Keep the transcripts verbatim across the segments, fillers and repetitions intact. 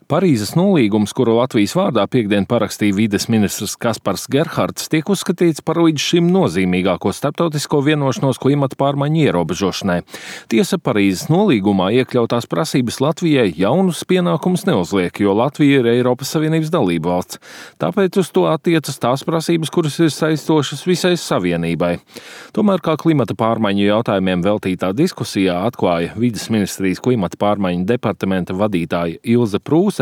Parīzes nolīgums, kuru Latvijas vārdā piektdien parakstīja vides ministrs Kaspars Gerhards, tiek uzskatīts par līdz šim nozīmīgāko starptautisko vienošanos klimata pārmaiņu ierobežošanai. Tiesa, Parīzes nolīgumā iekļautās prasības Latvijai jaunus pienākumus neuzliek, jo Latvija ir Eiropas Savienības dalība valsts. Tāpēc uz to attiecas tās prasības, kuras ir saistošas visai Savienībai. Tomēr, kā klimata pārmaiņu jautājumiem veltītā diskusijā atklāja vides ministrijas klimata pārmaiņu departamenta vadītāja Ilze Prūse,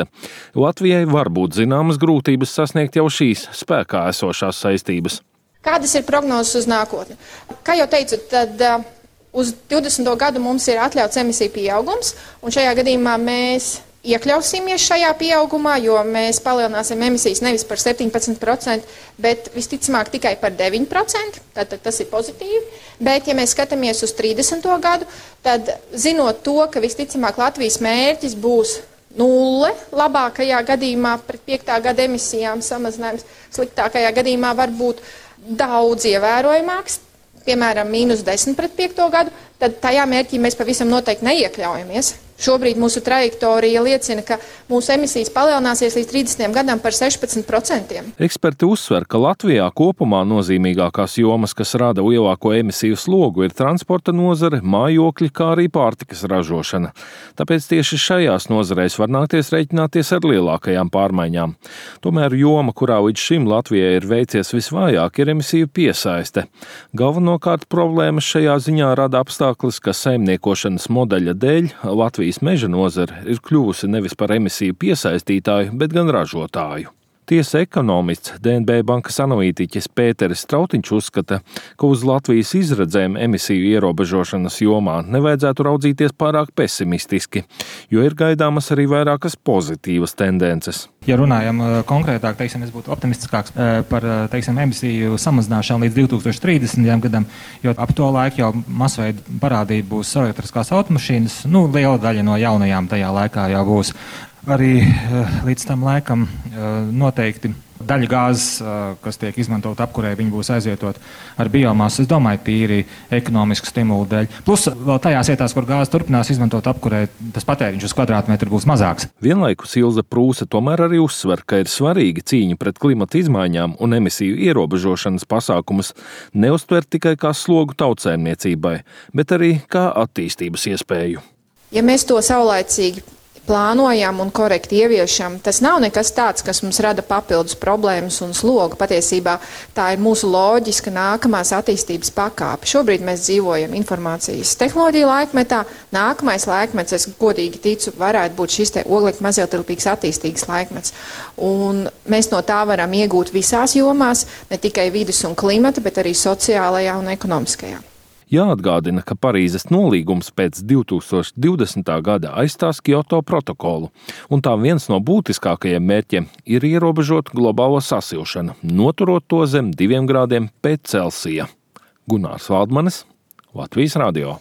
Latvijai var būt zināmas grūtības sasniegt jau šīs spēkā esošās saistības. Kādas ir prognozes uz nākotni? Kā jau teicu, tad uh, uz divdesmito gadu mums ir atļauts emisiju pieaugums, un šajā gadījumā mēs iekļausimies šajā pieaugumā, jo mēs palielināsim emisijas nevis par septiņpadsmit procenti, bet visticamāk tikai par deviņi procenti, tātad tas ir pozitīvi. Bet, ja mēs skatāmies uz trīsdesmito gadu, tad zinot to, ka visticamāk Latvijas mērķis būs nulle, labākajā gadījumā pret piektā gada emisijām samazinājums, sliktākajā gadījumā var būt daudz ievērojamāks, piemēram, mīnus desmit pret piekto gadu, tad tajā mērķī mēs pavisam noteikti neiekļaujamies. Šobrīd mūsu trajektorija liecina, ka mūsu emisijas palielināsies līdz trīsdesmitajam gadam par sešpadsmit procentiem. Eksperti uzsver, ka Latvijā kopumā nozīmīgākās jomas, kas rada lielāko emisiju slogu, ir transporta nozare, mājokļi, kā arī pārtikas ražošana. Tāpēc tieši šajās nozarēs var nākties rēķināties ar lielākajām pārmaiņām. Tomēr joma, kurā līdz šim Latvijai ir veicies visvājāk, ir emisiju piesaiste. Galvenokārt problēmas šajā ziņā rada apstākļus, ka saimniekošanas modeļa dēļ Latvijas meža nozare ir kļuvusi nevis par emisiju piesaistītāju, bet gan ražotāju. Tiesa ekonomists, D N B bankas analītiķis Pēteris Strautiņš uzskata, ka uz Latvijas izredzēm emisiju ierobežošanas jomā nevajadzētu raudzīties pārāk pesimistiski, jo ir gaidāmas arī vairākas pozitīvas tendences. Ja runājam konkrētāk, teiksim, es būtu optimistiskāks par, teiksim, emisiju samazināšanu līdz divi tūkstoši trīsdesmitajam gadam, jo ap to laiku jau masveida parādība būs elektriskās automašīnas, nu, liela daļa no jaunajām tajā laikā jau būs. Arī līdz tam laikam noteikti daļa gāzes, kas tiek izmantot apkurē, viņi būs aizvietot ar biomasu, es domāju, tīri ekonomisku stimulu dēļ. Plus vēl tajās vietās, kur gāze turpinās izmantot apkurē, tas patēriņš uz kvadrātmetru būs mazāks. Vienlaikus Ilze Prūse tomēr arī uzsver, ka ir svarīgi cīņa pret klimata izmaiņām un emisiju ierobežošanas pasākumus neuztvert tikai kā slogu tautsēmniecībai, bet arī kā attīstības iespēju. Ja mēs to saulaicīgi plānojam un korekti ieviešam, tas nav nekas tāds, kas mums rada papildus problēmas un slogu. Patiesībā tā ir mūsu loģiska nākamās attīstības pakāpe. Šobrīd mēs dzīvojam informācijas tehnoloģiju laikmetā. Nākamais laikmets, es godīgi ticu, varētu būt šis te oglekļa mazietilpīgs attīstīgs laikmets. Un mēs no tā varam iegūt visās jomās, ne tikai vides un klimata, bet arī sociālajā un ekonomiskajā. Jāatgādina, ka Parīzes nolīgums pēc divi tūkstoši divdesmitā gada aizstās Kioto protokolu, un tā viens no būtiskākajiem mērķiem ir ierobežot globālo sasilšanu, noturot to zem diviem grādiem pēc Celsija. Gunārs Valdmanis, Latvijas radio.